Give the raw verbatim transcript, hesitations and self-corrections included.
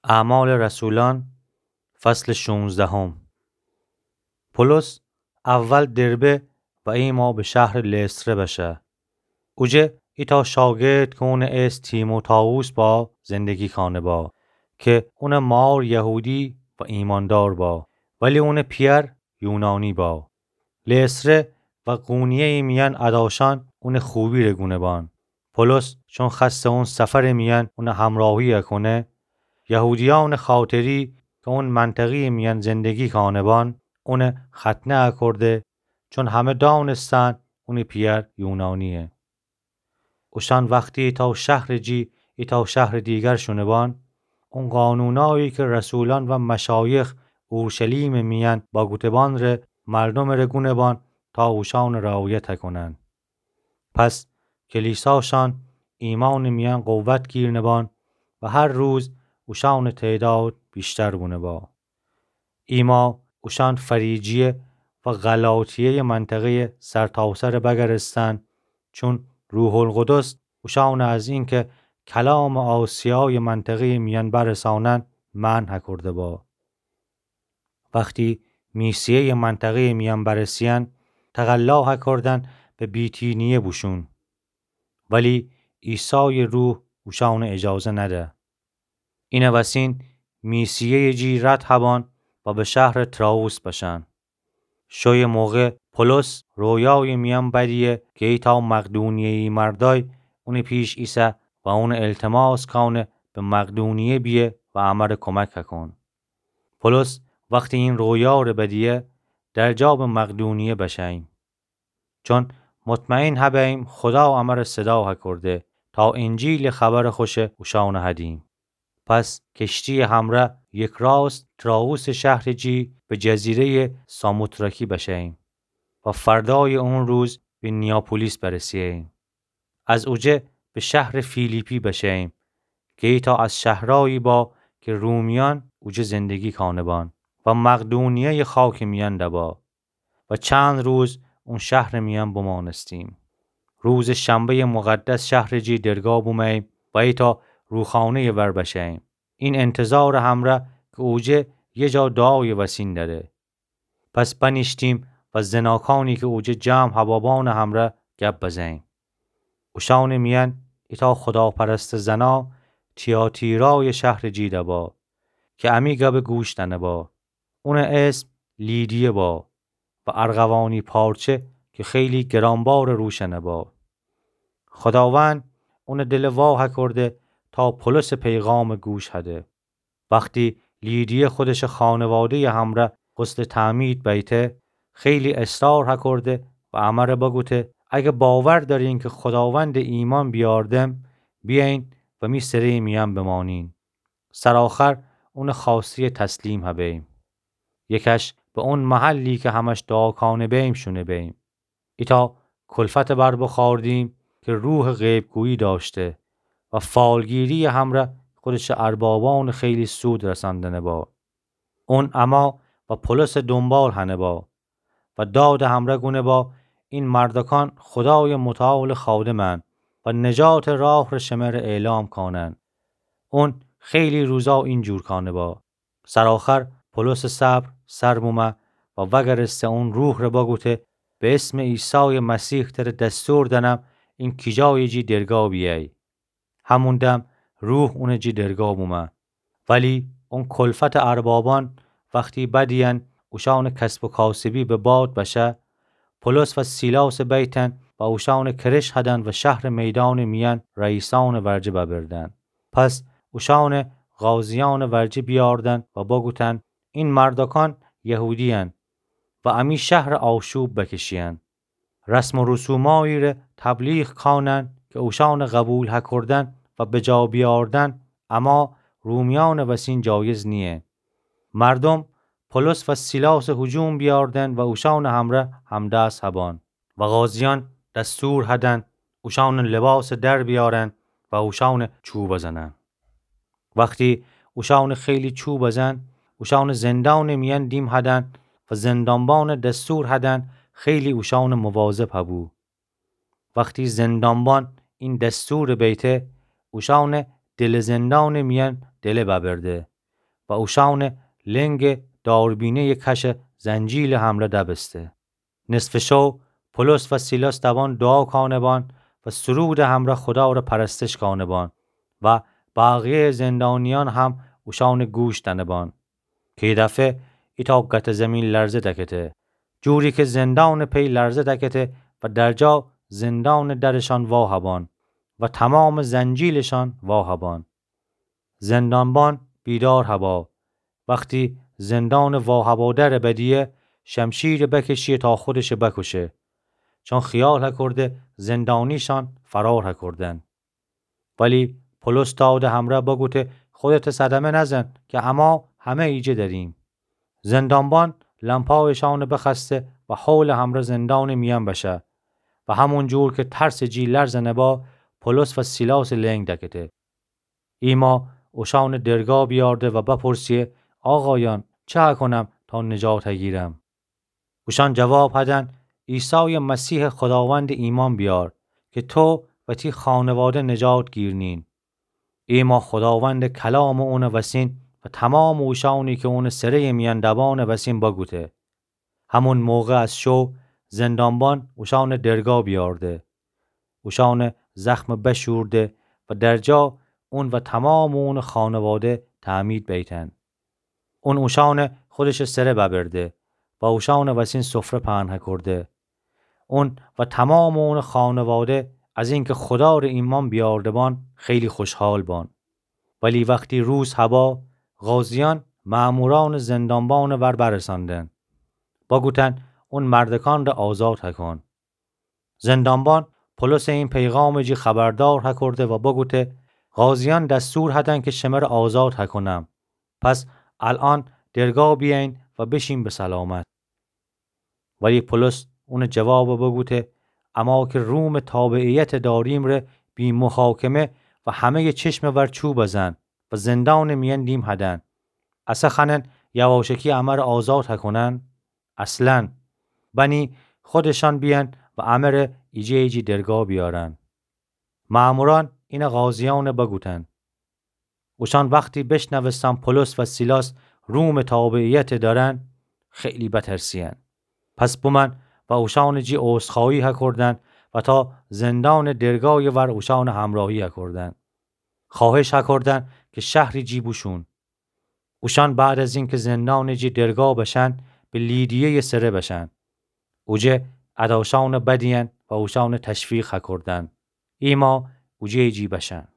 اعمال رسولان، فصل شونزدهم. پولس اول دربه و ایما به شهرٚ لستره بشه. اوجه ایتأ شاگرد کی اونٚ اسم تیموتائوس با زندگی کانه با، کی اونٚ مار یهودی و ایماندار با، ولی اونٚ پیأر یونانی با. لستره و قونیه‌یٚ میأن اداشأن اونٚ خوبی‌ره گونه بان. پولس چون خوأسته اون سفرٚ میأن اونٚ همراهی‌یه کونه، یهودیأنٚ خاطری کی اون منطقه‌یٚ میأن زندگی کانه بان، اونه ختنه اکرده، چون همه دانستن اونٚ پیأر یونانی‌یه. اوشأن وختی ایتأ شهرٚ جی ایتأ شهرٚ دیگر شونه بان، اون قانونایی کی رسولأن و مشایخ اورشلیمٚ میأن بگوته بان ره مردومٚ ره گونه بان تا اوشأن رعایت کونن. پس کلیساشأن ایمأنٚ میأن قوت گیرنه بان و هر روز اوشأنٚ تعداد ویشتر بونه با. ایما اوشأن فریجیه و غلاطیه‌یٚ منطقه‌یٚ سرتاسر بگرستن، چون روح‌القدس اوشأن از اینکی کلامٚ آسیایٚ منطقه‌یٚ میأن برسانن منع کرده با. وختی میسیه‌یٚ منطقه‌یٚ میأن برسیأن، تقلا کردن به بیتینیه بوشون. ولی عیسایٚ روح اوشأن اجازه نده. اینٚ وسین میسیه‌یٚ جی رد هبان و به شهرٚ تروآس بشن. شویٚ موقع پولس رویایٚ میأن بدیه کی ایتأ مقدونیه‌یی مردأی اونٚ پیش ایسه و اونٚ التماس کانه به مقدونیه بیه و امر کمک کون. پولس وختی این رویاره بدیه، درجا به مقدونیه بشه‌ییم. چون مطمئن هبه‌ییم خودا امر صدا هکرده تا انجیلٚ خبرٚ خوش اوشأن هدیم. پس کشتییٚ همرأ یکراست تروآسٚ شهرٚ جی به جزیره‌یٚ ساموتراکی بشه‌ییم و فردایٚ اون روز به نیاپولیس برسه‌ییم. از اوجه به شهرٚ فیلیپی بشه‌ییم کی ایتأ از شهرایی با کی رومیأن اوجه زندگی کانه بان و مقدونیه‌یٚ خاکٚ میأن دبا و چند روز اون شهرٚ میأن بمانستیم. روزٚ شنبه‌یٚ مقدس شهرٚ جی درگاه بومه‌ییم و ایتأ روخانه‌یٚ ور بشه‌ییم. این انتظارٚ همرأ کی اوجه یه جا دعایٚ وسین دأره. پس بنیشتیم و زناکانی کی اوجه جمع هبابانٚ همرأ گب بزه‌ییم. اوشأنٚ میأن ایتأ خداپرستٚ زنا تیاتیرایٚ شهرٚ جی دبا کی امی گب گوش دأنه با. اونٚ اسم لیدیه با و ارغوانی پارچه کی خیلی گرانبارٚ روشأنه با. خداوند اونٚ دل وا هکرده تا پولسٚ پیغام گوش هده. وختی لیدیه خودشٚ خانواده‌یٚ همرأ غسلٚ تعمید بیته، خیلی اصرار هکرده و امر بگوته: اگه باور دأرین کی خداوندٚ ایمأن بیاردم، بیأیین و می سره‌یٚ میأن بمانین. سرآخر اونٚ خوأسته‌یٚ تسلیم هبه‌ییم. یکش به اون محلی کی همش دعا کانه بیم شونه بیم. ایتأ کلفتٚ بر بخوأردیم کی روحٚ غیب‌گویی دأشته و فالگیری‌یٚ همرأ خودشٚ اربابأنٚ خیلی سود رسندنه با. اون اما و پولسٚ دونبال هنه با و دادٚ همرأ گونه با: این مردأکأن خدایٚ متعالٚ خادمن و نجاتٚ راه ره شمره اعلام کانن. اون خیلی روزا اینجور کانه با. سرآخر پولسٚ صبر سر بومه و وأگرسته اون روح ره بگوته: به اسمٚ عیسایٚ مسیح تره دستور دنم این کیجایٚ جی درگاه بیأی. همون دم روح اونٚ جی درگاه بومه. ولی اون کلفتٚ اربابأن وختی بدیین اوشأنٚ کسب و کاسبی به باد بشه، پولس و سیلاسٚ بیتن و اوشأنٚ کرش هدن و شهرٚ میدانٚ میأن رئیسأنٚ ورجه ببردن. پس اوشأنٚ قاضیأنٚ ورجه بیاردن و بگوتن: این مردأکأن یهودیین و امی شهر آشوب بکشیین. رسم و رسومایی ره تبلیغ کانن کی اوشأنٚ قبول هکردن و بجا بیاردن اما رومیأنٚ وسین جایز نییه. مردوم پولس و سیلاسٚ هجوم بیاردن و اوشأنٚ همرأ همدست هبان و قاضیأن دستور هدن اوشأنٚ لباس در بیأرن و اوشأنٚ چوب بزنن. وختی اوشأنٚ خیلی چوب بزن، اوشأنٚ زندانٚ میأن دیم هدن و زندانبان دستور هدن خیلی اوشأنٚ مواظب هبو. وختی زندانبان این دستور بیته، اوشأنٚ دلٚ زندانٚ میأن دله ببرده و اوشأنٚ لنگٚ داربینه‌یٚ کشٚ زنجیلٚ همرأ دبسته. نصفٚ شو پولس و سیلاس دوان دوعا کانه‌بان و سرودٚ همرأ خودا ره پرستش کانه‌بان و بقیه‌یٚ زندانیأن هم اوشأنٚ گوش دأنه‌بان. کی دفعه ایتأ گته زیمین لرزه دکته، جوری کی زندانٚ پی لرزه دکته و درجا زندانٚ درشأن واهبان و تومامٚ زنجیلشأن واهبان. زندانبان بیدار هبا. وختی زندانٚ واهبادره بدیه، شمشیرٚ بکشیه تا خودشٚ بکشه، چون خیال هکرده زندانیشأن فرار هکردن. ولی پولس تا اودٚ همرأ بگوته: خودتٚ صدمه نزن کی اما همه ایجه دریم. زندانبان لمپایشأنٚ بخوأسته و حولٚ همرأ زندانٚ میأن بشه و همون جور کی ترسٚ جی لرزه نبا، پولس و سیلاسٚ لنگ دکته. ایما اوشأنٚ درگاه بیارده و بپرسیه: آقایأن، چه هکنم تا نجات هگیرم؟ اوشأن جواب هدن: عیسایٚ مسیحٚ خوداوندٚ ایمأن بیار کی تو و تی خانواده نجات گیرنین. ایما خوداوندٚ کلامٚ اونٚ وسین و تومامٚ اوشأنی کی اونٚ سره‌یٚ میأن دبانٚ وسین بگوته. همون موقع از شو زندانبان اوشأنٚ درگاه بیارده، اوشأنٚ زخم بشورده و درجا اون و تومامٚ اونٚ خانواده تعمید بیتن. اون اوشأنٚ خودشٚ سره ببرده و اوشأنٚ وسین سفره پهن هکرده. اون و تومامٚ اونٚ خانواده از اینکی خودا ره ایمأن بیارده‌بان خیلی خوشحال بان. ولی وختی روز هبا، قاضیأن مأمورأنٚ زندانبانٚ ور برسأندن، بگوتن: اون مردکأن ره آزاد هکن. زندانبان پولسٚ این پیغامٚ جی خبردار هکرده و بگوته: قاضیأن دستور هدن کی شمره آزاد هکنم. پس الأن درگاه بیأیین و بشین به سلامت. ولی پولس اونٚ جواب بگوته: اما کی رومٚ تابعیت داریم ره بی محاکمه و همه‌یٚ چشمٚ ور چوب بزن و زندانٚ میأن دیم هدن. اسه خوأنن یواشکی امره آزاد هکنن؟ اصلاً. بنی خودشأن بیأن و امره ایجه ایجی درگاه بیارن. مأمورأن اینه قاضیأنه بگوتن. اوشأن وختی بشنوستن پولس و سیلاس رومٚ تابعیت دأرن، خیلی بترسیأن. پس بومأن و اوشأنٚ جی عذرخواهی هکردن و تا زندانٚ درگاهیٚ ور اوشأنٚ همراهی هکردن. خواهش هکردن کی شهری جی بوشون. اوشأن بعد از اینکی زندانٚ جی درگاه بشن، به لیدیه‌یٚ سره بشن. اوجه اداشأنٚ بدیأن و اوشأنٚ تشویق هکردن ایما اوجه‌یٚ جی بشن.